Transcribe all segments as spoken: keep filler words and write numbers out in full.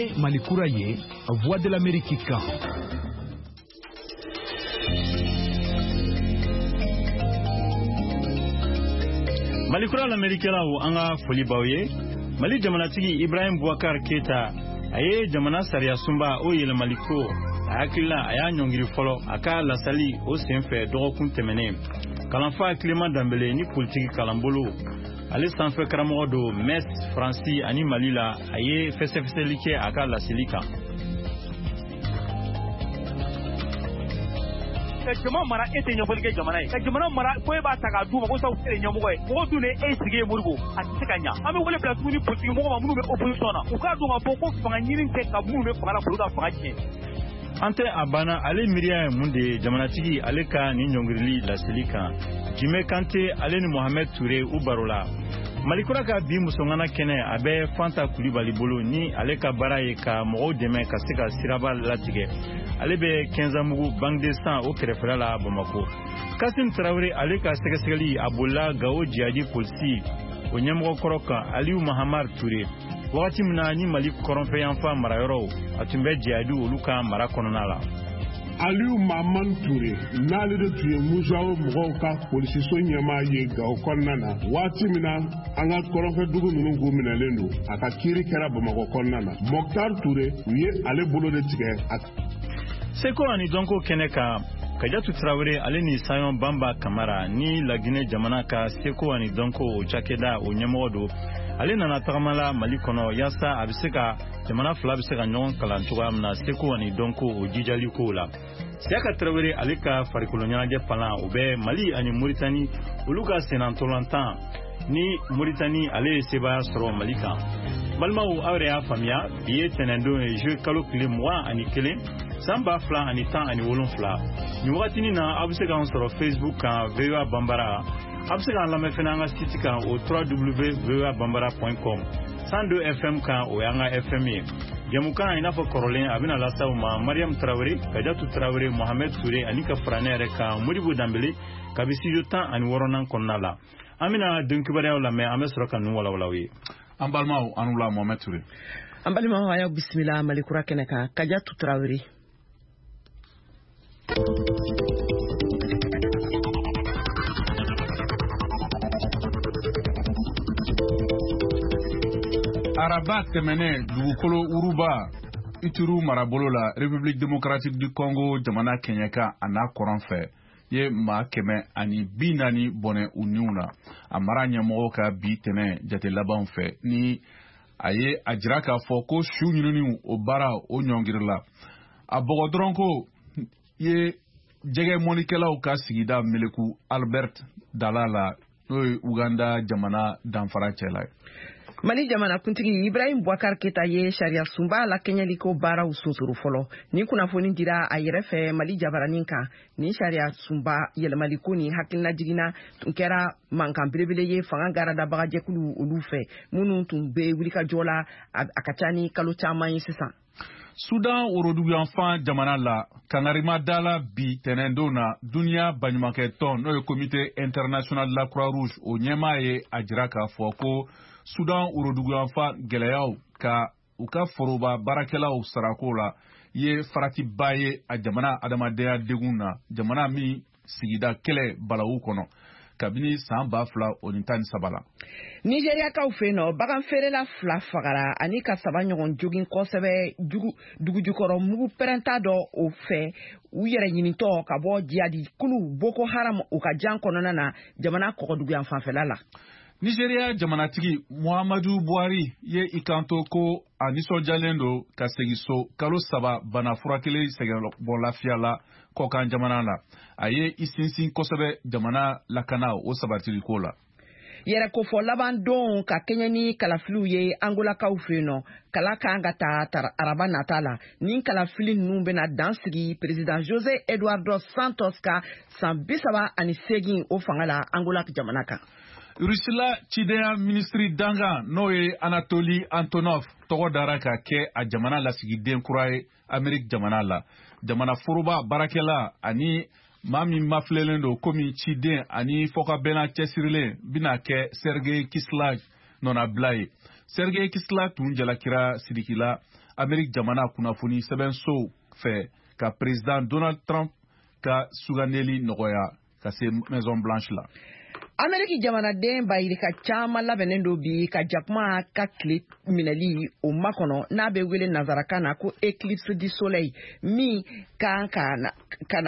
Nin ye Mali kura ye, Voix de l'Amérique kan. Mali kura lamɛnnikɛlaw, an ka foli b'aw ye. Mali jamanatigi Ibrahim Boubacar Keita, a ye jamana sariya sunba o yɛlɛmali ko a hakilila, a y'a ɲɔngiri fɔlɔ a ka lasali o senfɛ dɔgɔkun tɛmɛnen. Kalanfa Clément Dembele ni politiki kalanbolo ale sanfɛ karamɔgɔ don Metz, Faransi ani Mali la, a ye fɛsɛfɛsɛli kɛ a ka laseli kan. Ka jama mara, e tɛ ɲɛfɔli kɛ jamana ye. Ka jamana mara ko e b'a ta k'a d'u ma ko sabu e de ɲɛmɔgɔ ye. Mɔgɔ dun de e sigi ye Modibo, a tɛ se ka ɲa. An bɛ wele bila tuguni politiki mɔgɔw ma minnu bɛ opposition na, u k'a dɔn k'a fɔ ko fanga ɲini tɛ ka minnu bɛ fanga la k'olu ka fanga tiɲɛ. An tɛ a banna, ale miiriya ye mun de ye jamanatigi ale ka nin ɲɔngirili laseli kan? Jime Kante, ale ni Mohamed Touré u baro la. Malikura ka bi musoŋana kɛnɛ, a bɛ Fanta Kulibali bolo, ni ale ka baara ye ka mɔgɔw dɛmɛ ka se ka siraba latigɛ. Ale bɛ Kɛnzamugu Banque de Sang o kɛrɛfɛla la Bamako. Kasim Tarawele, ale ka sɛgɛsɛgɛli a bolila Gawo jihadi polisi o ɲɛmɔgɔ kɔrɔ kan, Aliyu Mahamar Ture, wagati min na ni Mali kɔrɔnfɛyanfan marayɔrɔw a tun bɛ jihadi olu ka mara kɔnɔna la. Aliyu Mahamar Ture, n'ale de tun ye Musawo mɔgɔw ka polisiso ɲɛmaa ye Gawo kɔnɔna na waati min na an ka kɔrɔnfɛdugu ninnu k'u minɛlen don, a ka kiiri kɛra Bamakɔ kɔnɔna na. Mɔktar Ture, u ye ale bolo de tigɛ. Seko ani dɔnko kɛnɛ kan, Kajatu Tarawele, ale ni Sayon Banba Kamara ni Laginɛ jamana ka seko ani dɔnko o cakɛda o ɲɛmɔgɔ don, ale nana tagama la Mali kɔnɔ yaasa a bɛ se ka jamana fila bɛ se ka ɲɔgɔn kalan cogoya min na seko ani dɔnko o jijali kow la. Siyaka Tarawele, ale ka farikolo ɲɛnajɛ palan, o bɛ Mali ani Moritani olu ka sennantolatan ni Moritani ale ye sebaaya sɔrɔ Mali kan. Balimaw, aw yɛrɛ y'a faamuya, bi ye tɛnɛndon ye, juillet kalo tile mugan ani kelen san ba fila ani tan ani wolonfila. Nin wagatinin na, aw bɛ se k'an sɔrɔ Facebook kan, V O A Banbara. Aw bɛ se k'an lamɛn fɛnɛ an ka site kan, o W W W point voa banbara point com, cent deux F M kan, o y'an ka F M ye. Jɛmukan, i n'a fɔ kɔrɔlen, a bɛna lase aw ma Mariam Tarawele, Kajatu Tarawele, Mohamed Touré ani ka fara ne yɛrɛ kan, Modibo Danbele, kabi studio tan ani wɔɔrɔnan kɔnɔna la. An bɛna don kibaruyaw lamɛn, an bɛ sɔrɔ ka ninnu walawala aw ye. An balimaw, an wula. Mohamed Touré. An balimaw, a y'aw bisimila Malikura kɛnɛ kan. Kajatu Tarawele. Araba tɛmɛnen, dugukolo wuruba Ituru marabolo la, République démocratique du Congo jamana kɛɲɛka a n'a kɔrɔn fɛ, ye maa kɛmɛ ani bi naani bɔnɛ u niw na, a mara ɲɛmɔgɔw ka bi tɛnɛ jate labanw fɛ, ni a ye a jira k'a fɔ ko su ɲininiw o baara o ɲɔngirila. A bɔgɔ dɔrɔn ko ye jɛgɛ mɔnikɛlaw ka sigida meleku Albert dala la, n'o ye Uganda jamana danfara cɛla ye. Mali jamanakuntigi Ibrahim Boubacar Keita ye sariya sunba lakɛɲɛliko baaraw sonsoro fɔlɔ. Nin kunnafoni dira a yɛrɛ fɛ Mali jabaranin kan. Nin sariya sunba yɛlɛmaliko ni hakilina jiginna tun kɛra mankan belebele ye fanga garadabagajɛkulu olu fɛ, minnu tun bɛ wulikajɔ la a ka ca ni kalo caman ye sisan. Sudan woroduguyanfan jamana la, kangarima dala bi tɛnɛndon na, duniya baɲumankɛtɔn, n'o ye Comité international de la Croix Rouge, o ɲɛmaa ye a jira k'a fɔ ko Sudan woroduguyanfan gɛlɛyaw ka u ka foroba baarakɛlaw sarako la ye faratiba ye a jamana adamadenya degun na, jamana min sigida kɛlɛ balawu kɔnɔ kabini san ba fila o ni tan ni saba la. Nigeriakaw fɛ yen nɔ, bagan feerela fila fagara ani ka saba ɲɔgɔn jogin kosɛbɛ dugujukɔrɔ mugu pɛrɛnta dɔ o fɛ, u yɛrɛ ɲinitɔ ka bɔ jihadi kulu Boko Haram u ka jan kɔnɔna na, jamana kɔgɔduguyan fanfɛla la. Nigeriya jamanatigi Muhammadu Buhari ye i kanto ko a nisɔndiyalen don ka segin so kalo saba bana furakɛli sɛgɛnbɔ lafiya la kɔkan jamana la. A ye i sinsin kosɛbɛ jamana lakana o sabatiliko la. Yɛrɛ kofɔ laban don ka kɛɲɛ ni kalafiliw ye Angolakaw fɛ yen nɔ, kala kan ka ta araba nata la. Nin kalafili ninnu bɛna dan sigi président José Eduardo Santos ka san bi saba ani seegin o fanga la Angola jamana kan. Rusila cidenya minisiri dangan, n'o ye Anatoli Antonov, tɔgɔ dara ka kɛ a jamana lasigiden kura ye Ameriki jamana la. Jamana foroba baarakɛla ani maa min mafilɛlen don komi ciden ani fɔkabɛnna cɛsirilen bɛna kɛ Sergei Kislyak nɔnabila ye. Sergei Kislyak tun jalakira sidikila Amerique jamana kunnafoni sɛbɛnsow fɛ ka président Donald Trump ka sugandeli nɔgɔya ka se Maison Blanche la. Ameriki jamanaden bayirika caman labɛnnen do bi ka jakuma ka tile minɛli o makɔnɔ n'a bɛ wele nanzarakan na ko éclipse du soleil min kan ka ka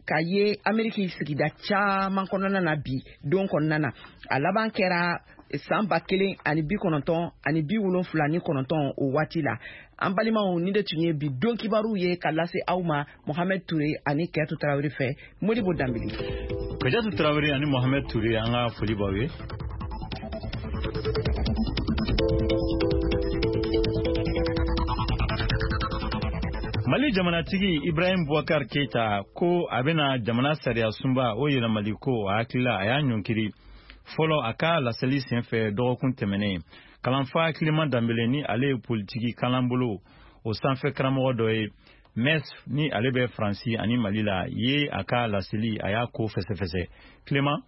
ka ye Ameriki sigida caman kɔnɔna na bi don kɔnɔna na. A laban kɛra san ba kelen ani bi kɔnɔntɔn ani bi wolonfila ni kɔnɔntɔn o waati la. An balimaw, ni de tun ye bi don kibaru ye ka lase aw ma Mohamed Touré ani Kɛtu Tarawele fɛ. Modibo Danbele. Kajatu Tarawele ani Mohamed Touré, an ka foli b'aw ye. Mali jamanatigi Ibrahim Boubacar Keita ko a bɛna jamana sariya sunba o yɛlɛmali ko a hakilila a y'a ɲɔnkiri fɔlɔ a ka laseli senfɛ dɔgɔkun tɛmɛnen. Kalanfa Clément Dambele ni ale ye politiki kalanbolo o sanfɛ karamɔgɔ dɔ ye M E S ni ale bɛ Faransi ani Mali la ye a ka laseli a y'a ko fɛsɛfɛsɛ. Clément.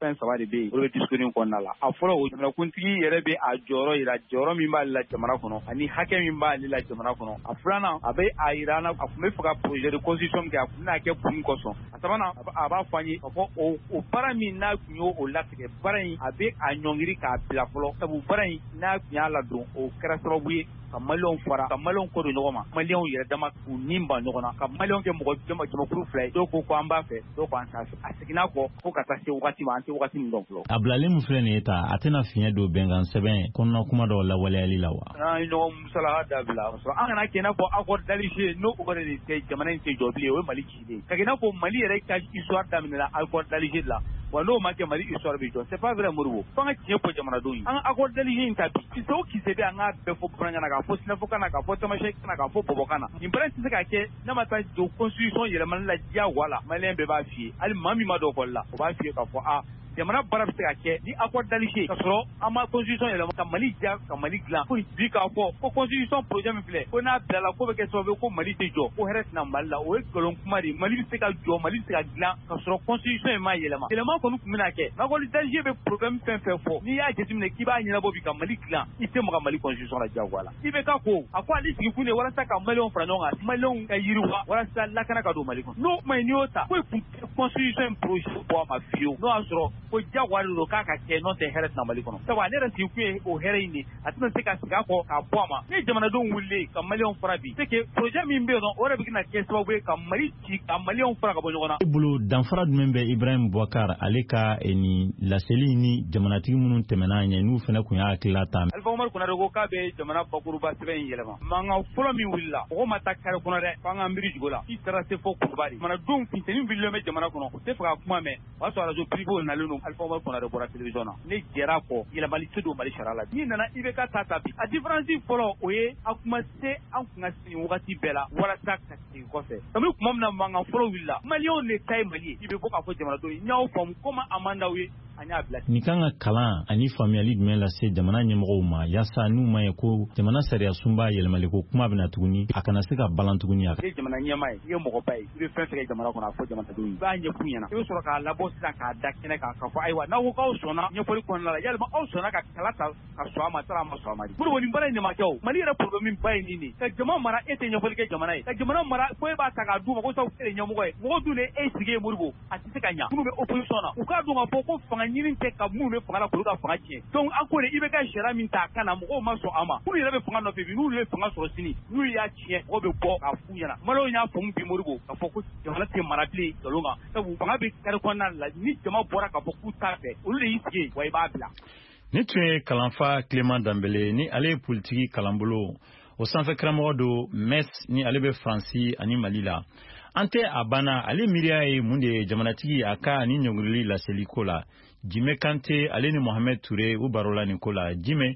Fɛn saba de bɛ yen, olu bɛ discours in kɔnɔna la. A fɔlɔ, o jamanakuntigi yɛrɛ bɛ a jɔyɔrɔ yira, jɔyɔrɔ min b'ale la jamana kɔnɔ ani hakɛ min b'ale la jamana kɔnɔ. A filanan, a bɛ a yira an na a tun bɛ fɛ ka projet de constitution min kɛ, a tun bɛna kɛ kun kosɔn. A sabanan, a b'a fɔ an ye k'a fɔ o o baara min n'a tun y'o o latigɛ, baara in a bɛ a ɲɔngiri k'a bila fɔlɔ, sabu baara in n'a tun y'a ladon, o kɛra sababu ye ka maliyɛnw fara, ka maliyɛnw kɔ don ɲɔgɔn ma, maliyɛnw yɛrɛ dama k'u ni ban ɲɔgɔn na, ka maliyɛnw kɛ mɔgɔ jama jamakulu fila ye, dɔw ko ko an b'a fɛ, dɔw ko an t'a fɛ. A seginna kɔ fo ka taa se wagati ma, an tɛ wagati min dɔn fɔlɔ. A bilalen min filɛ nin ye ta, a tɛna fiɲɛ don bɛnkan sɛbɛn kɔnɔna kuma dɔw lawaleyali la wa? An ye ɲɔgɔn musalaka dabila, an kana kɛ i n'a fɔ accord d'Alger n'o o de tɛ jamana in tɛ jɔ bilen, o ye Mali cilen ka kɛ i n'a fɔ Mali yɛrɛ ka histoire daminɛna accord d'Alger la wa, n'o ma kɛ Mali histoire bɛ jɔ. C'est pas vrai Modibo, f'an ka tiɲɛ fɔ jamanadenw ye. An ka accord d'Alger in ta bi, kisɛ o kisɛ bɛ, an k'a bɛɛ fɔ bamanankan na, k'a fɔ sinafɔkan na, k'a fɔ tamasɛki na, k'a fɔ bɔbɔkan na. Nin baara in tɛ se ka kɛ n'a ma taa don constitution yɛlɛmali la diyagoya la. Maliyɛn bɛɛ b'a f'i ye, hali maa min ma don ekɔli la, o b'a f'i ye k'a fɔ a jamana baara bɛ se ka kɛ ni accord d'Alger ka sɔrɔ an ma constitution yɛlɛma ka Mali diya, ka Mali dilan. Ko bi k'a fɔ ko constitution projet min filɛ, ko n'a bilala ko bɛ kɛ sababu ye ko Mali tɛ jɔ, ko hɛrɛ tɛna Mali la, o ye nkalon kuma de ye. Mali bɛ se ka jɔ, Mali bɛ se ka dilan ka sɔrɔ constitution in ma yɛlɛma. Yɛlɛma kɔni tun bɛna kɛ. Accord d'Alger bɛ problème fɛn fɛn fɔ, n'i y'a jateminɛ k'i b'a ɲɛnabɔ bi ka Mali dilan, i tɛ maga Mali constitution la diyagoya la. I bɛ ka ko a ko ale sigi kun de walasa ka maliyɛnw fara ɲɔgɔn kan, maliyɛnw ka yiriwa, walasa lakana ka don Mali kɔnɔ. N'o kuma in n'i y'o ta, ko kun constitution in projet bɔ a ma fiyewu, n'o y'a sɔrɔ ko diyagoya de don k'a ka kɛ, n'o tɛ hɛrɛ tɛna Mali kɔnɔ. Sabu ale yɛrɛ sigi kun ye o hɛrɛ in de, a tɛna se ka segin a kɔ k'a bɔ a ma. Ni jamanadenw wulilen ka maliyɛnw fara bi, c'est que projet min bɛ yen nɔ, o yɛrɛ bɛ na kɛ sababu ye ka Mali ci, ka maliyɛnw fara ka bɔ ɲɔgɔn na. E bolo, danfara jumɛn bɛ Ibrahim Boubacar ale ka nin laseli ni jamanatigi minnu tɛmɛna ɲɛ n'u fana tun y'a hakilila ta? Alpha Oumar Konaré ko k'a bɛ jamana bakuruba sɛbɛn in yɛlɛma. Mankan fɔlɔ min wulila, mɔgɔ ma taa kare kɔnɔ dɛ, f'an k'an miiri jugu la. I taara se fo Kuluba de. Jamanadenw funteni wulilen bɛ jamana kɔnɔ, u tɛ fɛ ka kuma mɛn. O y'a sɔrɔ radio privé nalen don, Alpha Oumar Konaré bɔra télévision na. Ne jɛra kɔ, yɛlɛmali tɛ don Mali sariya la. N'i nana I B K ta ta bi, a différence fɔlɔ o ye a kuma se an kun ka sigi wagati bɛɛ la walasa ka segin kɔfɛ. Kabini tuma min na mankan fɔlɔ wulila, maliyɛnw de ta ye Mali ye. I bɛ bɔ k'a fɔ jamanadenw ye, n y'aw faamu komi a man d'aw ye, an y'a bila. Nin kan ka kalan ani faamuyali jumɛn lase jamana ɲɛmɔgɔw ma, yaasa n'u ma ye ko jamana sariya sunba yɛlɛmali ko kuma bɛna tuguni, a kana se ka balan tuguni a I ye jamana ɲɛmaa ye, i ye mɔgɔba ye, i bɛ fɛn fɛn kɛ jamana kɔnɔ, a fɔ jamanadenw ye, i b'a ɲɛf'u ɲɛna. I bɛ sɔrɔ k'a labɔ sisan k'a da kɛnɛ kan k'a fɔ ayiwa, n'aw ko k'aw sɔnna ɲɛfɔli kɔnɔna la, yalima aw sɔnna ka kala ta ka sɔn a ma, sara a ma sɔn a ma di. Modibo, nin baara in de ma kɛ o. Mali yɛrɛ problème ba ye nin de ye, ka jama mara e tɛ ɲɛfɔli kɛ jamana ye, ka jamana mara ko e b'a ta k'a d'u ma ko sabu e de ye ɲɛmɔgɔ ye, mɔgɔw dun de e sigi ye. Modibo, a tɛ se ka ɲa. Minnu bɛ opposition na, u k'a dɔn k'a fɔ ko fanga ɲini tɛ ka minnu bɛ fanga la k'olu ka fanga tiɲɛ. Donc an ko de I B K sariya min ta a kan na, mɔgɔw ma sɔn a ma. Minnu yɛrɛ bɛ fanga nɔfɛ bi, n'olu ye fanga sɔrɔ sini, n'u y'a tiɲɛ, mɔgɔw bɛ bɔ k'a f'u ɲɛna. Maliyɛnw y'a faamu bi Modibo, k'a fɔ ko jamana tɛ mara bilen nkalon kan, sabu fanga bɛ kare kɔnɔna la, ni jama bɔra k'a fɔ k'u t'a fɛ, olu de y'i sigi wa i b'a bila. Ni tun ye kalanfa Clément Dambele ni ale ye politiki kalanbolo o sanfɛ karamɔgɔ don M E S ni ale bɛ Faransi ani Mali la. An tɛ a banna, ale miiriya ye mun de ye jamanatigi a ka ani ɲɔngirili laseli ko la? Jime Kante ale ni Mohamed Touré u barola nin ko la. Jime.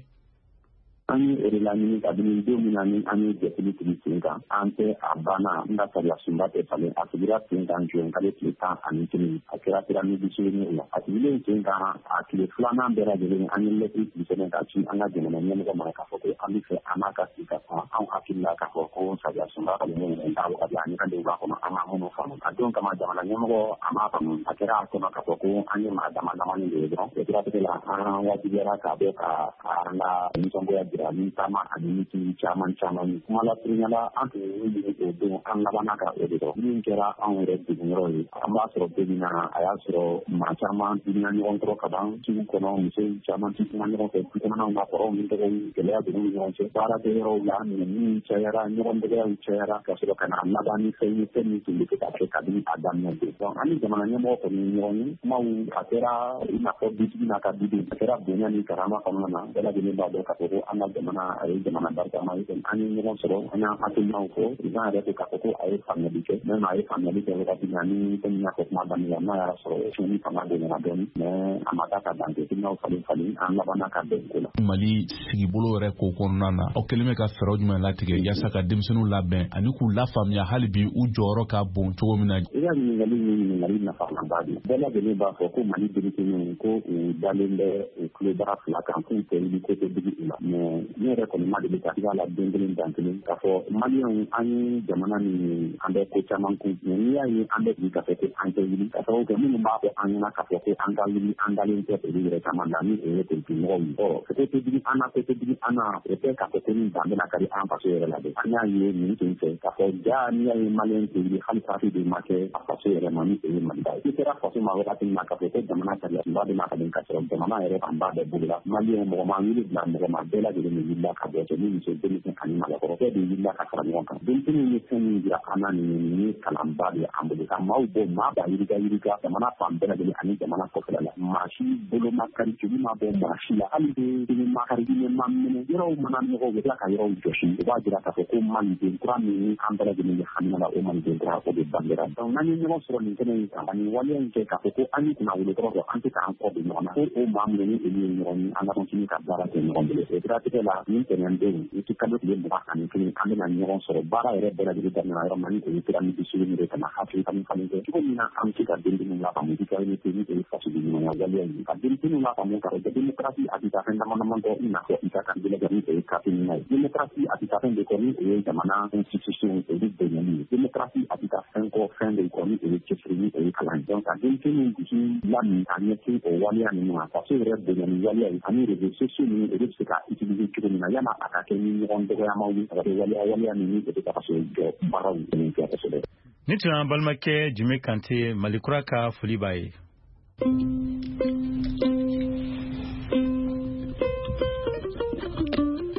An ye o de laɲini kabini don min na ni an ye jɛkulu sigi sen kan. An tɛ a banna n ka sariya sunba tɛ falen. A sigira sen kan juin kalo tile tan ani kelen, a kɛra pyramide la. A sigilen sen kan, a tile filanan bɛɛ lajɛlen, an ye lɛtiri sigi sɛbɛn ka ci an ka jamana ɲɛmɔgɔ ma k'a fɔ ko an bɛ fɛ an n'a ka sigi ka kuma. Anw hakili la k'a fɔ ko sariya sunba falennen t'a wagati ani kan b'a kɔnɔ, an ma minnu faamu. A don kama, jamana ɲɛmɔgɔ a m'a faamu, a kɛra a kɔnɔ k'a fɔ ko an ye maa dama damani de ye dɔrɔn. O siratigɛ la, an wajibiyara k'a bɔ ka an ka nisɔngoya jira. kɛra ni taama ani mitingi caman caman ye. Kuma lasurunya la, an tun ye min ɲini o don, an labanna ka o de dɔn. Min kɛra anw yɛrɛ degunyɔrɔ ye, an b'a sɔrɔ don min na, a y'a sɔrɔ maa caman dimina ɲɔgɔn kɔrɔ ka ban sugu kɔnɔ, muso caman ti kuma ɲɔgɔn fɛ du kɔnɔnaw na, kɔrɔw ni dɔgɔw, gɛlɛya donn'u ni ɲɔgɔn cɛ, baarakɛyɔrɔw la nɛniw cayara, ɲɔgɔn dɔgɔyaw cayara, ka sɔrɔ ka na laban ni fɛn ye, fɛn min tun bɛ se ka kɛ kabini a daminɛ don. Donc an ni jamana ɲɛmɔgɔ kɔni ye ɲɔgɔn ye, kumaw a kɛra i n'a fɔ dutigi n'a ka duden, a kɛra bonya ni karama kɔnɔna na. Bɛɛ lajɛlen b'a dɔn k'a fɔ ko an ka jamana a ye jamana barikama ye. An ye ɲɔgɔn sɔrɔ, an y'an hakilinaw fɔ, président yɛrɛ ko k'a fɔ ko a ye faamuyali kɛ, même a ye faamuyali kɛ wagati min na, ni komi n y'a fɔ kuma daminɛ la, n'a y'a sɔrɔ tiɲɛni fanga bonyana dɔɔni, mais a ma taa ka dan kɛ, hakilinaw falen falen, an labanna ka bɛn ko la. Mali sigibolo yɛrɛ ko kɔnɔna na, aw kɛlen bɛ ka fɛɛrɛ jumɛn latigɛ yaasa ka denmisɛnninw labɛn ani k'u lafaamuya hali bi u jɔyɔrɔ ka bon cogo min na? I ka ɲininkali ye ɲininkali nafamaba de ye. Bɛɛ lajɛlen b'a fɔ ko Mali denmisɛnninw ko u dalen bɛ u tulo bara fila kan, k'u tɛ wuli ko tɛ digi u la. Mais ne yɛrɛ kɔni ma deli ka i b'a la den kelen dan kelen k'a fɔ Maliyɛnw, an ye jamana min ye, an bɛ ko caman kun, mais n'i y'a ye an bɛ bi k'a fɔ ko an tɛ wuli, ka sababu kɛ minnu b'a fɔ an ɲɛna k'a fɔ ko an ka wuli, an dalen tɛ olu yɛrɛ caman la, ni o ye politikimɔgɔw ye. Ɔ ko tɛ digi an na, ko tɛ digi an na, o tɛ k'a fɔ ko ni dan bɛna kari an faso yɛrɛ la dɛ. An y'a ye nin sen fɛ k'a fɔ ja, n'i y'a ye Maliyɛn tɛ wuli, hali sarati de ma kɛ a faso yɛrɛ ma, ni o ye Maliba ye. I kɛra faso ma wagati min na k'a fɔ ko jamana sariya sunba bɛna ka ka sɔrɔ jamana yɛrɛ fanba bɛɛ bolo la, Maliyɛn mɔgɔ ma wuli bila mɔgɔ ma, bɛɛ lajɛlen de wulila ka bɔ, cɛ ni muso, denmisɛn ani mabakɔrɔ, bɛɛ de wulila ka fara ɲɔgɔn kan. Denmisɛnninw ye fɛn min jira an na, nin ye nin ye kalanba de ye an bolo, ka maaw bɔ maa ba yirika yirika jamana fan bɛɛ lajɛlen ani jamana kɔfɛla la. Maa si bolo ma kari, joli ma bɔ maa si la, hali den ma kari, diinɛ ma minɛ, yɔrɔw mana nɔgɔ, u bɛ tila ka yɔrɔw jɔsi. U b'a jira k'a fɔ ko maliden kura min an bɛɛ lajɛlen bɛ hamina la, o maliden kura o de bangera. Donc n'an ye ɲɔgɔn sɔrɔ nin kɛnɛ in kan, ani waleya in kɛ k'a fɔ ko an ye kunnawolo kɔrɔ sɔrɔ, an tɛ k'an kɔ don ɲɔgɔn na, ko o maa minnu ni olu ye ɲɔgɔn ye, an ka continuer ka baara kɛ ɲɔgɔn bolo. O siratigɛ la, nin tɛnɛn don, i ti kalo tile mugan ani kelen, an bɛna ɲɔgɔn sɔrɔ baara yɛrɛ bɛɛ lajɛlen daminɛ yɔrɔ min na, ni o ye pyramide sugu de ka na hakili falen falen kɛ cogo min na, an bɛ se ka denmisɛnninw lafaamu citoyenneté, ni o ye fasoden ɲumanya waleya ye, ka denmisɛnninw lafaamu k'a fɔ démocratie a tɛ taa fɛn dama dama kɔ, i n'a fɔ i ka kan ni o ye carte ɲuman ye. Démocratie a tɛ taa fɛn de kɔ, ni o ye jamana institution olu bonyali ye. Démocratie a tɛ taa fɛn kɔ, fɛn de kɔ, ni o ye cɛsiri, ni o ye kalan ye. Donc ka denmisɛnninw dusu lamin ka ɲɛsin o waleya ninnu ma, faso yɛrɛ bonyali waleya ye, ani réseaux sociaux ninnu olu bɛ se ka utiliser cogo min na, yan'a a ka kɛ ni ɲɔgɔn dɔgɔyamaw ye, a ka kɛ waleya waleya ninnu o bɛ ka faso jɔ baaraw kɛ kosɛbɛ. Ni tun y'an balimakɛ Jime Kante, Mali kura ka foli b'a ye.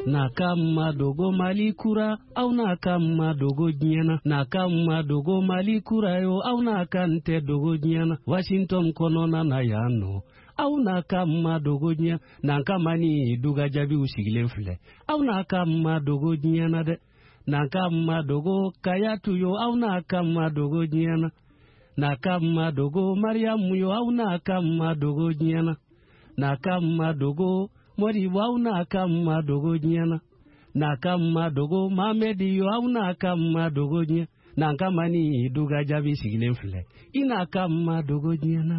N'a ka ma dogo Mali kura, aw n'a ka ma dogo diɲɛ na. N'a ka ma dogo Mali kura yo, aw n'a ka n tɛ dogo diɲɛ na. Washington kɔnɔna na yan nɔ, aw n'a ka ma dogo diɲɛ. N'an ka ma ni duga jaabiw sigilen filɛ, aw n'a ka ma dogo diɲɛ na dɛ. N'an ka ma dogo Kayatu yo, aw n'a ka ma dogo diɲɛ na. N'a ka ma dogo Mariyamu yo, aw n'a ka ma dogo diɲɛ na. N'a ka ma dogo Moribo, aw n'a ka ma dogo diɲɛ na. N'a ka ma dogo Mamedi yo, aw n'a ka ma dogo diɲɛ. N'an ka ma ni duga jaabi sigilen filɛ, i n'a ka ma dogo diɲɛ na.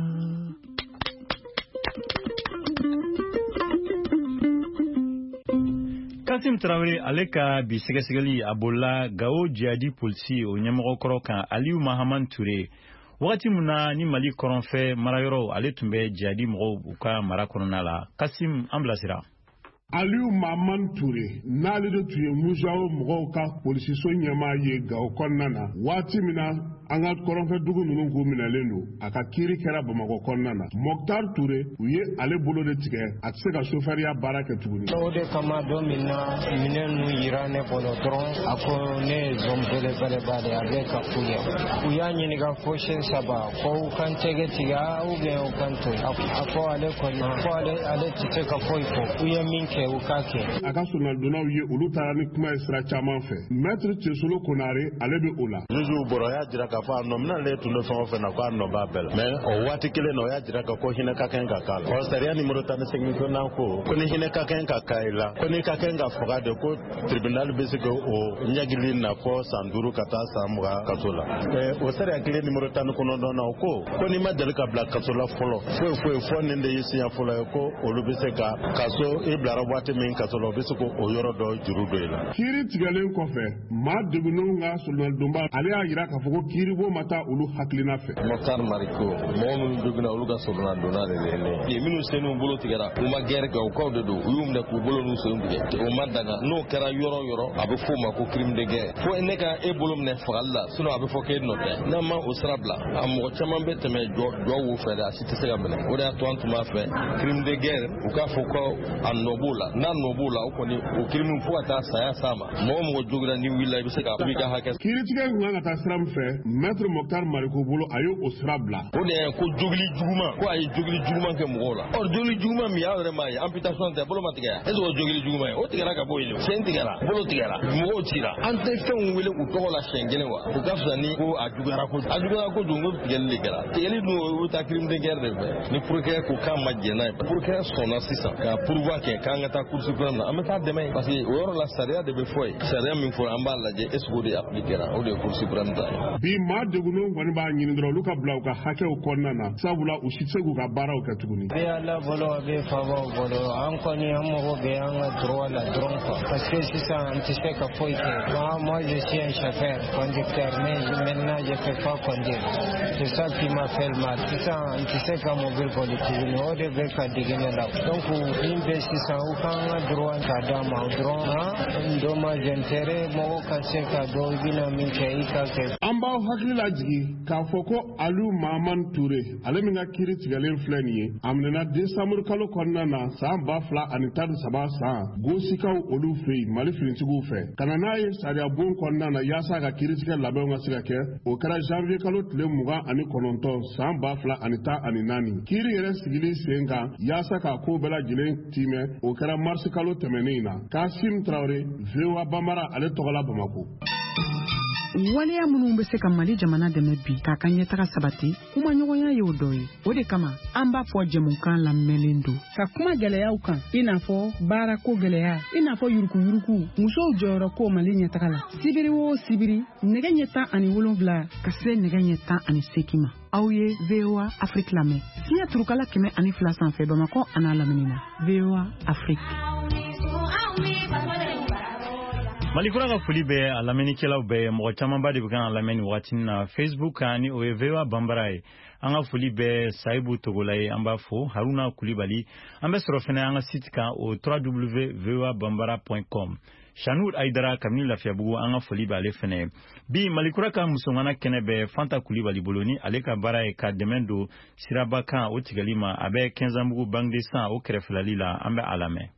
Kasim Traoré ale ka bi sɛgɛsɛgɛli a bolila Gao jihadi polisi o ɲɛmɔgɔ kɔrɔ kan, Aliou Mahaman Touré, wagati min na ni Mali kɔrɔnfɛ marayɔrɔw ale tun bɛ jihadi mɔgɔw u ka mara kɔnɔna la. Kasim, an bilasira. Aliou Mahaman Touré, n'ale de tun ye Musawo mɔgɔw ka polisiso ɲɛmaa ye Gawo kɔnɔna na, waati min na an ka kɔrɔnfɛdugu ninnu k'u minɛlen don, a ka kiiri kɛra Bamakɔ kɔnɔna na. Mokhtar Touré, u ye ale bolo de tigɛ, a tɛ se ka sofɛriya baara kɛ tuguni. O de kama don min na minɛn ninnu yira ne bolo dɔrɔn, a ko ne ye zon belebeleba de ye, a bɛ ka k'u ye. U y'a ɲininka fo siɲɛ saba ko u kan tɛgɛ tigɛ ou bien u kan to yen. A ko ale kɔni ko ale ale tɛ se ka foyi fɔ, u ye min kɛ u k'a kɛ. A ka solonadonnaw ye, olu taara ni kuma ye sira caman fɛ. Maître Cesolo Konare, ale bɛ o la. Juge bɔra, o y'a jira k'a fɔ a nɔ minɛ ale tun bɛ fɛn o fɛn na, k'a nɔ b'a bɛɛ la. Mais o waati kelen na, o y'a jira k'a ko hinɛ ka kan ka k'a la. Ɔ sariya numéro tan ni seegin ko n'an ko ko ni hinɛ ka kan ka k'a la, ko n'i ka kan ka faga de, ko tribunal bɛ se k'o ɲagili na fɔ san duuru ka taa san mugan kaso la. O sariya kelen numéro tan ni kɔnɔntɔn na, o ko ko n'i ma deli ka bila kaso la fɔlɔ, foyi foyi fɔ nin de y'i siɲɛ fɔlɔ ye, ko olu bɛ se ka kaso i bilara waati min kaso la, o bɛ se k'o yɔrɔ dɔ juru don i la. Kiiri tigɛlen kɔfɛ, maa degunnenw ka solonadonba ale y'a jira k'a fɔ ko kiiri kiiribon ma taa olu hakilina fɛ. Moctar Mariko, mɔgɔ minnu joginna olu ka sɔrɔna donna de ye ne ye. Minnu sen n'u bolo tigɛra, u ma gɛrɛ kɛ, u kaw de don, u y'u minɛ k'u bolo n'u sen tigɛ. O ma daga, n'o kɛra yɔrɔ o yɔrɔ, a bɛ f'o ma ko crime de guerre. Fo ne ka e bolo minɛ fagali la, sinon a bɛ fɔ k'e nɔ tɛ. N'an ma o sira bila, a mɔgɔ caman bɛ tɛmɛ jɔ jɔ wo fɛ dɛ, a si tɛ se ka minɛ. O de y'a to an tun b'a fɛ crime de guerre, u k'a fɔ ko a nɔ b'o la. N'a nɔ b'o la, o kɔni o crime fo ka taa saya s'a ma. Mɔgɔ mɔgɔ joginna n'i wulila, i bɛ se ka i b'i ka hakɛ. Kiiritigɛ in kun kan ka taa sira min fɛ, Maître Moctar Mariko bolo, a y'o o sira bila. O de ye ko jogili juguman, ko a ye jogili juguman kɛ mɔgɔw la. Ɔ jogili juguman min, aw yɛrɛ m'a ye, amputation tɛ, bolo ma tigɛ yan. Est ce que o jogili juguman ye? O tigɛra ka bɔ yen, sen tigɛra, bolo tigɛra, mɔgɔw cira. An tɛ fɛnw wele u tɔgɔ la siɲɛ kelen wa? O ka fisa ni ko a juguyara kojugu. A juguyara kojugu, ko tigɛli de kɛra. Tigɛli dun, o bɛ taa crime de guerre de fɛ. Ni procureur ko k'a ma jɛn n'a ye, procureur sɔnna sisan ka pourvoi kɛ k'an ka taa cour suprême na, an bɛ taa dɛmɛ yen. Parce que o yɔrɔ la, sariya de bɛ fɔ yen. Sariya min fɔra, an b'a lajɛ est ce que o de appliquera, o de ye cour suprême ta ye. Bi maa degunnenw kɔni b'a ɲini dɔrɔn olu ka bila u ka hakɛw kɔnɔna na, sabula u si tɛ se k'u ka baaraw kɛ tuguni. A bɛ Ala bolo, a bɛ faamaw bolo, an kɔni an mago bɛ an ka droit la dɔrɔn quoi. Parce que sisan an tɛ se ka foyi kɛ. Moi, moi je suis un chauffeur, conducteur, mais maintenant je peux pas conduire. C'est ça qui m'a fait mal. Sisan an tɛ se ka mobili boli tuguni, o de bɛ ka digi ne la. Donc min bɛ sisan, u k'an ka droit ka d'an ma dɔrɔn, han, dommage intérêt, mɔgɔw ka se ka dɔn i bɛna min kɛ, i ka kɛ. An b'aw hakili lajigin k'a fɔ ko Aliou Mahamane Touré, ale min ka kiiri tigɛlen filɛ nin ye, a minɛna desanburu kalo kɔnɔna na san ba fila ani tan ni saba san Gosikaw olu fɛ yen, Mali finitigiw fɛ, ka na n'a ye sariyabon kɔnɔna na yaasa ka kiiritigɛ labɛnw ka se ka kɛ. O kɛra janvier kalo tile mugan ani kɔnɔntɔn san ba fila ani tan ani naani. Kiiri yɛrɛ sigili sen kan yaasa k'a ko bɛɛ lajɛlen timɛ, o kɛra marisi kalo tɛmɛnen in na. Kasim Traoré, V O A Bambara, ale tɔgɔla Bamako. Waleya minnu bɛ se ka Mali jamana dɛmɛ bi k'a ka ɲɛtaga sabati, kumaɲɔgɔnya y'o dɔ ye. O de kama an b'a fɔ jɛmukan lamɛnlen don ka kuma gɛlɛyaw kan, i n'a fɔ baarako gɛlɛya, i n'a fɔ yurukuyuruku, musow jɔyɔrɔ ko Mali ɲɛtaga la. Sibiri o sibiri, nɛgɛ ɲɛ tan ani wolonwula ka se nɛgɛ ɲɛ tan ani seegin ma, aw ye V O A Afrique lamɛn fiɲɛ turukala kɛmɛ ani fila sanfɛ Bamakɔ an'a lamini na. V O A Afrique. Malikura ka foli bɛ a lamɛnnikɛlaw bɛɛ. Mɔgɔ camanba de bɛ kan ka lamɛn nin waati na Facebook kan, ni o ye V O A Bambara ye. An ka foli bɛ Sayibu Togola ye, an b'a fo Haruna Kulibali. An bɛ sɔrɔ fɛnɛ an ka site kan, o w w w point v o a bambara point com. Shanur Aidara kabini Lafiyabugu, an ka foli b'ale fɛnɛ. Bi Malikura ka musoŋana kɛnɛ bɛ Fanta Kulibali bolo, ni ale ka baara ye ka dɛmɛ don siraba kan o tigɛli ma. A bɛ Kɛnzanbugu Banque de Sang o kɛrɛfɛlali la, an bɛ a lamɛn.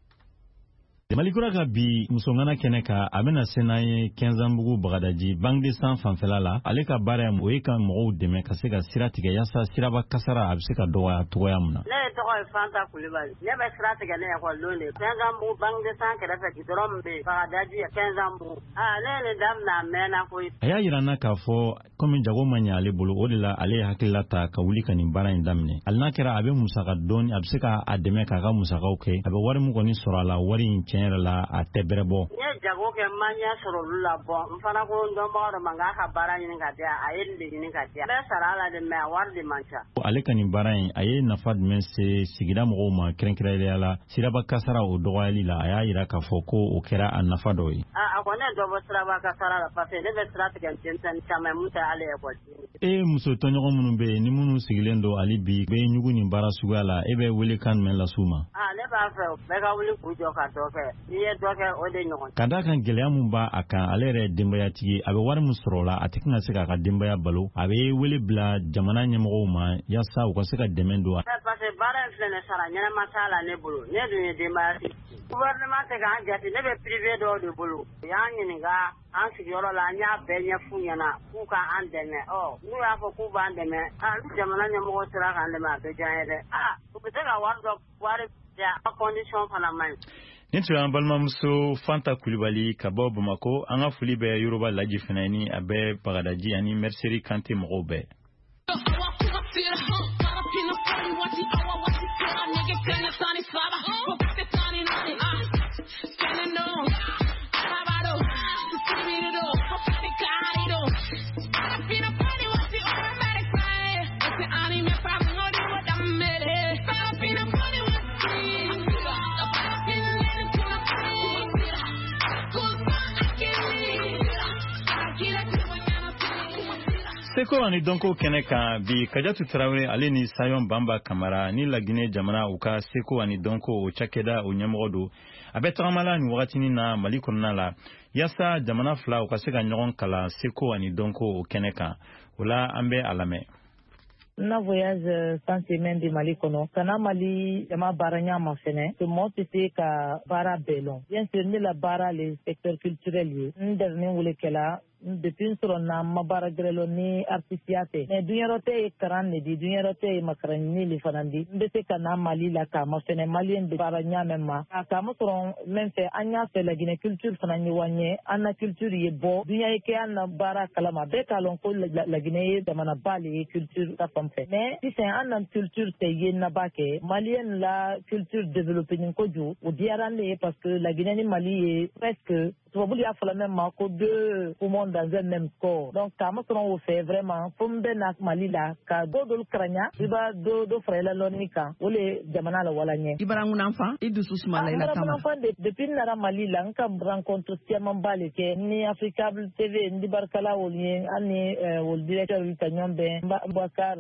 Malikura ka bi musoŋana kɛnɛ kan, a bɛna se n'an ye Kɛnzanbugu Bagadaji Banque de Sang fanfɛla la. Ale ka baara ye o ye ka mɔgɔw dɛmɛ ka se ka sira tigɛ yaasa siraba kasara a bɛ se ka dɔgɔya cogoya min na. Ne tɔgɔ ye Fanta Kulibali. Ne bɛ sira tigɛ ne ekɔlidon de. Kɛnzanbugu Banque de Sang kɛrɛfɛ gidɔrɔn min bɛ yen, Bagadaji Kɛnzanbugu. Aa ne ye nin daminɛ a mɛnna koyi. A y'a yira n na k'a fɔ komi jago ma ɲɛ ale bolo, o de la ale ye hakilila ta ka wuli ka nin baara in daminɛ. Hali n'a kɛra a bɛ musaka dɔɔni, a bɛ se k'a dɛmɛ k'a ka musakaw kɛ. A bɛ wari min kɔni sɔrɔ a la, wari in tiɲɛ yɛrɛ la a tɛ bɛrɛ bɔ. N ye jago kɛ, n ma ɲɛ sɔrɔ olu la. Bɔn n fana ko n dɔnbaga dɔ ma n k'a ka baara ɲini ka di yan, a ye nin de ɲini ka di yan. N bɛ sara a la de, mɛ a wari de man ca. Ale ka nin baara in, a ye nafa jumɛn se sigida mɔgɔw ma, kɛrɛnkɛrɛnnenya la siraba kasara o dɔgɔyali la? A y'a yira k'a fɔ ko o kɛra a nafa dɔ ye. A kɔni ye dɔ bɔ siraba kasara la, parce que ne bɛ sira tigɛ denmisɛnnin caman ye mun tɛ hali ekɔliden. E muso tɔɲɔgɔn minnu bɛ yen, ni minnu sigilen don hali bi bɛ ɲugu nin baara suguya la, e bɛ welekan jumɛn las'u ma? A ne b'a fɛ bɛɛ ka wuli k'u jɔ ka dɔ kɛ. N'i ye dɔ kɛ, o de ɲɔgɔn. Ka d'a kan gɛlɛya min b'a a kan, ale yɛrɛ ye denbayatigi, a bɛ wari min sɔrɔ o la, a tɛ ka se k'a ka denbaya balo. A bɛ wele bila jamana ɲɛmɔgɔw ma yaasa u ka se ka dɛmɛ don. Parce que baara in filɛ nin, sara ɲɛnama t'a la ne bolo. Ne dun ye denbayatigi. Gouvernement tɛ k'an jate, ne bɛ privé dɔw de bolo. U y'an ɲininka an sigiyɔrɔ la, an y'a bɛɛ ɲɛf'u ɲɛna k'u k'an dɛmɛ. Ɔ n'u y'a fɔ k'u b'an dɛmɛ, aa ni jamana ɲɛmɔgɔ sera k'an dɛmɛ, a bɛ diya an ye dɛ. Aa u bɛ se ka wari dɔ wari di a condition fana man ɲi. Nin tun y'an balimamuso Fanta Kulibali ka bɔ Bamakɔ. An ka foli bɛ Yoroba Laji fana ni a bɛ Bagadaji ani Merseri Kante mɔgɔw bɛɛ. Seko ani dɔnko kɛnɛ kan bi, Kajatu Tarawele ale ni Sayon Banba Kamara ni Laginɛ jamana u ka seko ani dɔnko o cakɛda o ɲɛmɔgɔ don. A bɛ tagama la nin wagatinin na Mali kɔnɔna la yaasa jamana fila u ka se ka ɲɔgɔn kalan seko ani dɔnko o kɛnɛ kan. O la an bɛ a lamɛn. Na voyage sans semaine de Mali kɔnɔ ka na Mali jama baara ɲa ma fɛnɛ que mɔgɔ tɛ se ka baara bɛɛ lɔn. Bien sûr, ne la baara le secteur culturel ye, n dɛrɛnin wele kɛla depuis n sɔrɔ na ma baara gɛrɛ lɔ ni artisiya tɛ, mais duɲɛrɔ tɛ ye karan le di, duɲɛrɔ tɛ ye makaraɲini le fana di. N bɛ se ka na Mali la k'a ma fɛnɛ maliyɛn bɛ baara ɲa mɛn ma a k'a ma sɔrɔ mɛn fɛ. An y'a fɛ Laginɛ culture fana ye wa ɲɛ, an na culture ye bɔ duɲa ye kɛ an na baara kalama. Bɛɛ k'a lɔn ko Laginɛ ye jamanaba le ye culture ta fan fɛ, mais sisan an na culture tɛ ye naba kɛ maliyɛn la culture développé ni kojugu. O diyara ne ye parce que Laginɛ ni Mali ye presque, tubabu y'a fɔla même ma ko deux poumons dans un même corps. Donc k'a ma sɔrɔ o fɛ vraiment fo n bɛ na Mali la ka dɔ dɔlu karaɲa, i b'a dɔ dɔ fara i la lɔnni kan, o le jamana la wala ɲɛ. I bara ŋunanfan, i dusu sumala i la taama. Depuis n nana Mali la, n ka rencontre camanba le kɛ ni Africable T V, n di barikala olu ye, an ni olu directeur ka ɲɔgɔn bɛn Boubacar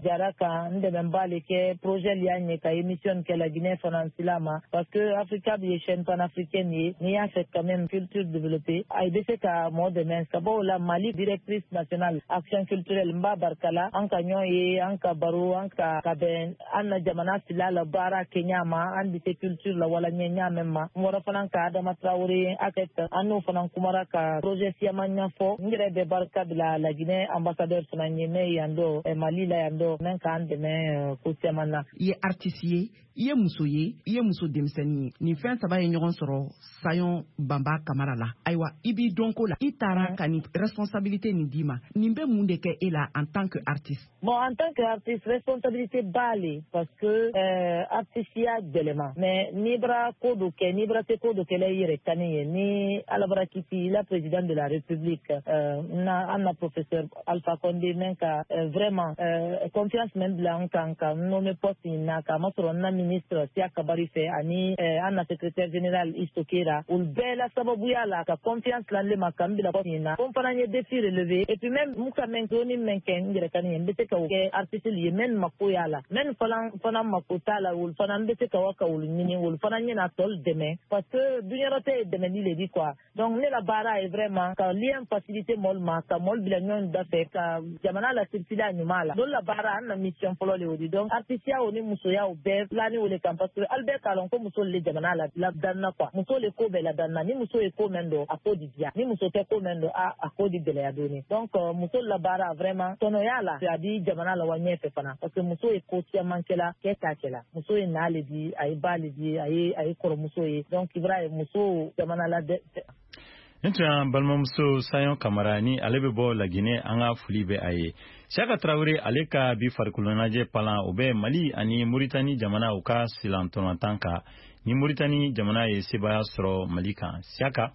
Jara kan, n dɛmɛba le kɛ projet li y'an ye ka émission kɛ la Guinée fana sila ma, parce que Africable ye chaîne panafricaine ye. N'i y'a fɛ quand même culture développée, a bɛ se ka mɔgɔ dɛmɛ sababu la. Mali directrice nationale action culturelle, n b'a barikala, an ka ɲɔgɔn ye, an ka baro, an ka ka bɛn an na jamana fila la baara kɛ ɲa ma, an bɛ se culture la wala ɲɛ ɲa mɛn ma. N bɔra fana ka Adama Traoré akɛ, an n'o fana kumara ka projet siyaman ɲɛfɔ. N yɛrɛ bɛ barika bila la Guinée ambassadeur fana ye mɛ yan dɔ Mali la yan dɔ mɛn k'an dɛmɛ ko caman na. I ye artiste ye, i ye muso ye, i ye muso denmisɛnnin ye. Nin fɛn saba ye ɲɔgɔn sɔrɔ Sayon Banba Kamara la. Ayiwa, i b'i dɔnko la, i taara ka nin responsabilité nin d'i ma, nin bɛ mun de kɛ e la en tant que artiste? Bon, en tant que artiste, responsabilité b'a le parce que euh, artisiya gɛlɛma, mais n'i bara ko dɔ kɛ, n'i bara se ko dɔ kɛla i yɛrɛ kani ye, ni Ala bara kisi la président de la République euh, na an na professeur Alpha Condé mɛn ka euh, vraiment euh, confiance mɛn bila an kan ka nommé poste in na, k'a masɔrɔ n na ministre Siya Kabari fɛ ani euh, an na secrétaire général Istokera, olu bɛɛ la sababuya la ka confiance la ne ma ka n bila poste in na. Ko n fana ye défi relevé et puis même mun ka mɛn dɔɔni mɛn kɛ n yɛrɛ kani ye, n bɛ se ka o kɛ artiste ye mɛn mako y'a la, mɛn fana fana mako t'a la, olu fana n bɛ se ka wa ka olu ɲini, olu fana ɲɛna tɔlu dɛmɛ parce que duɲɛrɔ tɛ ye dɛmɛli le di quoi. Donc ne la baara ye vraiment ka lien facilité mɔlu ma, ka mɔlu bila ɲɔgɔn da fɛ, ka jamana la circuler a ɲuman la. Dɔw la baara an na mission fɔlɔ le o di. Donc artisiya o ni musoya o bɛɛ filani o le kan parce que ali bɛɛ k'a lɔn ko muso le jamana la ladanna quoi. Muso le ko bɛɛ ladanna, ni muso ye ko mɛn dɔn a ko di diya, ni muso tɛ ko mɛn dɔn a a ko di gɛlɛya dɔɔni. Donc muso la baara vraiment tɔnɔya la a di jamana la wa ɲɛfɛ fana parce que muso ye ko caman kɛla kɛ t'a kɛla. Muso ye na le di, a ye ba le di, a ye a ye kɔrɔmuso ye. Donc i b'a ye muso jamana la dɛ. Nin tun y'an balimamuso Sayon Kamara ni ale bɛ bɔ Laginɛ, an ka foli bɛ a ye. Siyaka Tarawele ale ka bi farikoloɲɛnajɛ palan o bɛ Mali ani Moritani jamana u ka silantɔnɔtan kan, ni Moritani jamana ye sebaaya sɔrɔ Mali kan. Siyaka.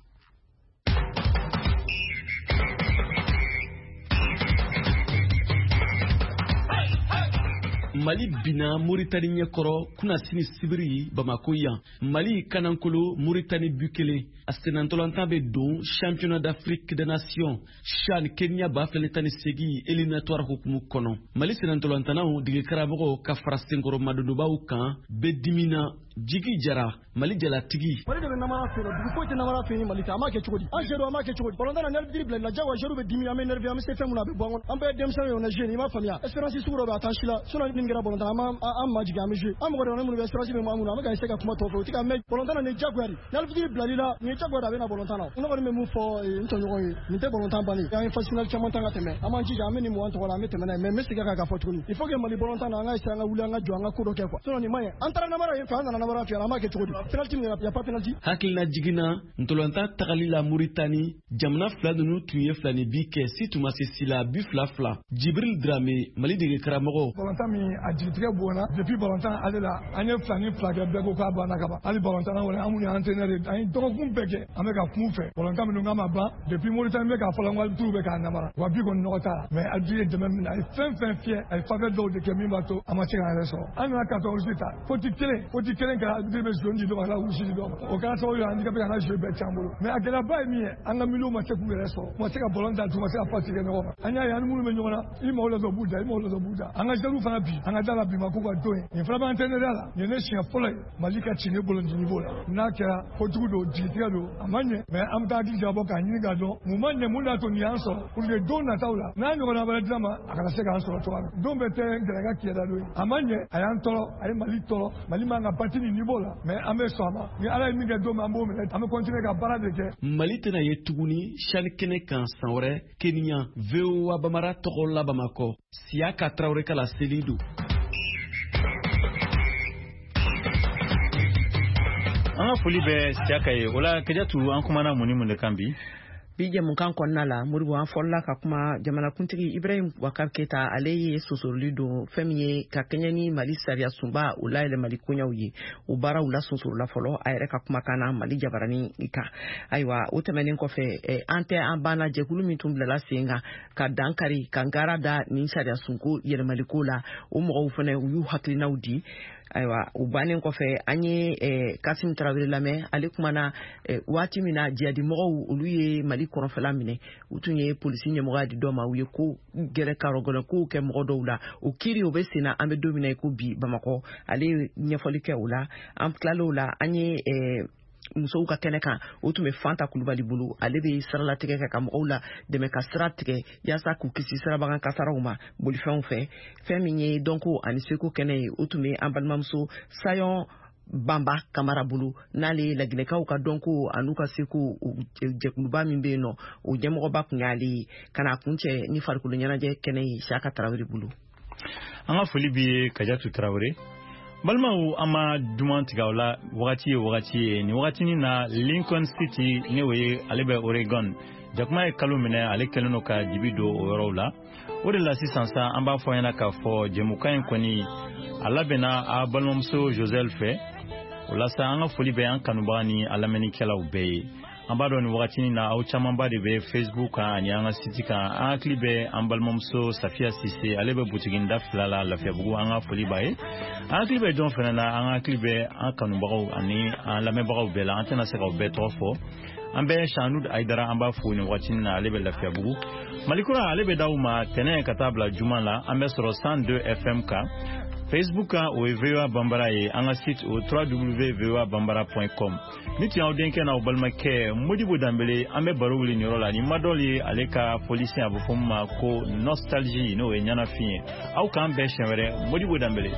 Mali bina Mauritanie ɲɛkɔrɔ kunnasini sibiri Bamako yan. Mali kanankolo Mauritanie bu kelen. A sennantolatan bɛ don championnat d'Afrique des nations CHAN Kenya ba fila ni tan ni seegin éliminatoire hukumu kɔnɔ. Mali sennantolatannaw degekaramɔgɔw ka fara senkɔrɔ madonbaw kan bɛɛ dimina. Jigi Jara, Mali jalatigi. Mali de bɛ namara feere, dugu foyi tɛ namara feere ni Mali tɛ. An b'a kɛ cogo di? An seerew an b'a kɛ cogo di? Balontan na ni arbitre bila la, jagoya seerew bɛ dimi, an bɛ énervé, an bɛ se fɛn mun na a bɛ bɔ an kɔnɔ. An bɛɛ ye denmisɛnninw ye, on est jeune, i m'a faamuya. Espérance sugu dɔ bɛ a t'an si la. Sinon ni nin kɛra balontan an b'an an majigin, an bɛ jouer. An mɔgɔ dɔrɔn minnu bɛ espérance bɛ maa minnu na, an bɛ ka essayer ka kuma tɔw fɛ, u tɛ ka mɛn. Balontan na nin ye jagoya de. Ni arbitre bilali la, nin ye jagoya de, a bɛ na balontan na. Ne kɔni bɛ mun fɔ n tɔɲɔgɔn ye, nin tɛ balontan bannen. An ye phase finale caman tan ka tɛmɛ. An b'an jija, an bɛ nin mugan tɔgɔ la, an bɛ tɛmɛ n'a ye. Mais n bɛ segin a kan k'a fɔ tuguni. Il faut que Mali balontan na an ka essayer an ka wuli, an ka jɔ, an ka ko dɔ kɛ quoi. Sinon nin man ɲi. An taara namara yen fɛ, an nana namara fɛ, an b'a kɛ cogo di? Penalty min y a pas penalty. Hakilina jiginna ntolatan tagali la Mauritanie, jamana fila ninnu tun ye fila ni bi kɛ si tun ma se si la bi fila fila. Jibril Dramé, Mali dege karamɔgɔ. Balontan min a jigitigɛ bonyana depuis balontan ale la, an ye fila ni fila kɛ, bɛɛ ko k'a banna ka ban. Hali balontan na kɔni an minnu ye entraîneur ye, an ye dɔgɔkun bɛɛ kɛ an bɛ ka kun fɛ. Balontan minnu k'a ma ban depuis Mauritanie bɛ k'a fɔ la ko arbitre bɛ k'a namara. Wa bi kɔni nɔgɔ t'a la. Mais arbitre ye dɛmɛ min na, a ye fɛn fɛn fiyɛ, a ye faveur dɔw de kɛ min b'a to a ma se k'an yɛrɛ sɔrɔ. An nana carton rouge ta, faute kelen, faute kelen. kelen kɛra arbitre bɛ zone di dɔ ma ka rouge di dɔ ma o kɛra sababu ye handicapé ka na jeu bɛɛ c'an bolo mais a gɛlɛyaba ye min ye an ka milieu ma se k'u yɛrɛ sɔrɔ u ma se ka ballon da u ma se ka passe kɛ ɲɔgɔn ma an y'a ye an ni minnu bɛ ɲɔgɔn na i mago la dɔrɔn u b'u da i mago la dɔrɔn u b'u da an ka jeunes fana bi an ka da la bi ma k'u ka don ye nin fana b'an entraîneur la nin ye ne siɲɛ fɔlɔ ye Mali ka ci ne bolo nin niveau la n'a kɛra kojugu don jigitigɛ don a ma ɲɛ mais an bɛ taa hakili jagabɔ k'a ɲini k'a dɔn mun ma ɲɛ mun y'a to nin y'an sɔrɔ pour que don nataw la n'a ɲɔgɔnna wɛrɛ dira ma a kana se k'an sɔrɔ cogoya min don bɛɛ tɛ gɛlɛya kiyada don ye a ma ɲɛ a y'an tɔɔrɔ a ye Mali tɔɔrɔ Mali man ka bati nin niveau la mais an bɛ sɔn a ma ni Ala ye min kɛ don min an b'o minɛ an bɛ continuer ka baara de kɛ. Mali tɛna ye tuguni CHAN kɛnɛ kan san wɛrɛ Kenya V O A Bamara tɔgɔ la Bamakɔ Siyaka Tarawele ka laseli don. An ka foli bɛ Siyaka ye o la Kajatu an kumana mun ni mun de kan bi? Bi jɛmukan kɔnɔna la Modibo an fɔlɔla ka kuma jamanakuntigi Ibrahim Boubacar Keita ale ye sosoroli don fɛn min ye ka kɛɲɛ ni Mali sariya sunba o layɛlɛmali koɲɛw ye o baaraw la sonsorola fɔlɔ a yɛrɛ ka kumakan na Mali jabaranin kan ayiwa o tɛmɛnen kɔfɛ an tɛ an banna jɛkulu min tun bilala sen kan ka dankari ka ngara da nin sariya sunko yɛlɛmaliko la o mɔgɔw fana u y'u hakilinaw di ayiwa o bannen kɔfɛ an ye eh, Kasim Tarawele lamɛn ale kumana eh, waati min na jihadimɔgɔw olu ye Mali kɔrɔnfɛla minɛ u tun ye polisi ɲɛmɔgɔya di dɔ ma u ye ko gɛrɛ karɔgɛlɛn kow kɛ mɔgɔ dɔw la o kiiri o bɛ sen na an bɛ don min na i ko bi Bamakɔ ale ye ɲɛfɔli kɛ o la an tilal'o la an ye eh, musow ka kɛnɛ kan o tun bɛ Fanta Kulubali bolo ale bɛ siralatigɛ kɛ ka mɔgɔw la dɛmɛ ka sira tigɛ yaasa k'u kisi sirabagan kasaraw ma bolifɛnw fɛ fɛn min ye dɔnko ani seko kɛnɛ ye o tun bɛ an balimamuso Sayɔn Banba Kamara bolo n'ale ye laginɛkaw ka dɔnko an'u ka seko jɛkuluba min bɛ yen nɔ o ɲɛmɔgɔba tun y'ale ye ka n'a kuncɛ ni farikolo ɲɛnajɛ kɛnɛ ye Siyaka Tarawele bolo. An ka foli b'i ye Kajatu Tarawele. Balimaw an ma duman tigɛ aw la wagati ye wagati ye nin wagatinin na Lincoln City ne o ye ale bɛ Oregon jakuma ye kalo minɛ ale kɛlen don ka dibi don o yɔrɔw la o de la sisan sa an b'a fɔ ɲɛna k'a fɔ jɛmukan in kɔni a labɛnna a balimamuso Joselle fɛ o la sa an ka foli bɛ an kanubaga ni a lamɛnnikɛlaw bɛɛ ye an b'a dɔn nin wagatinin na aw camanba de bɛ Facebook kan ani an ka site kan an hakili bɛ an balimamuso Safiya Sise ale bɛ butiginda fila la Lafiyabugu an ka foli b'a ye an hakili bɛ jɔn fana na an hakili bɛ an kanubagaw ani an lamɛnbagaw bɛɛ la an tɛna se k'aw bɛɛ tɔgɔ fɔ an bɛ Shanud Aidara an b'a fo nin wagatinin na ale bɛ Lafiyabugu Malikura ale bɛ d'aw ma tɛnɛ ka taa bila juma la an bɛ sɔrɔ cent deux F M kan Facebook kan o ye V O A Bambara ye an ka site o w w w point v o a bambara point com ni tun y'aw denkɛ n'aw balimakɛ Modibo Danbele an bɛ baro wuli nin yɔrɔ la ni Madɔl ye ale ka fɔlisen a bɛ fɔ min ma ko nostalgie n'o ye ɲɛnafin ye aw k'an bɛn siɲɛ wɛrɛ Modibo Danbele.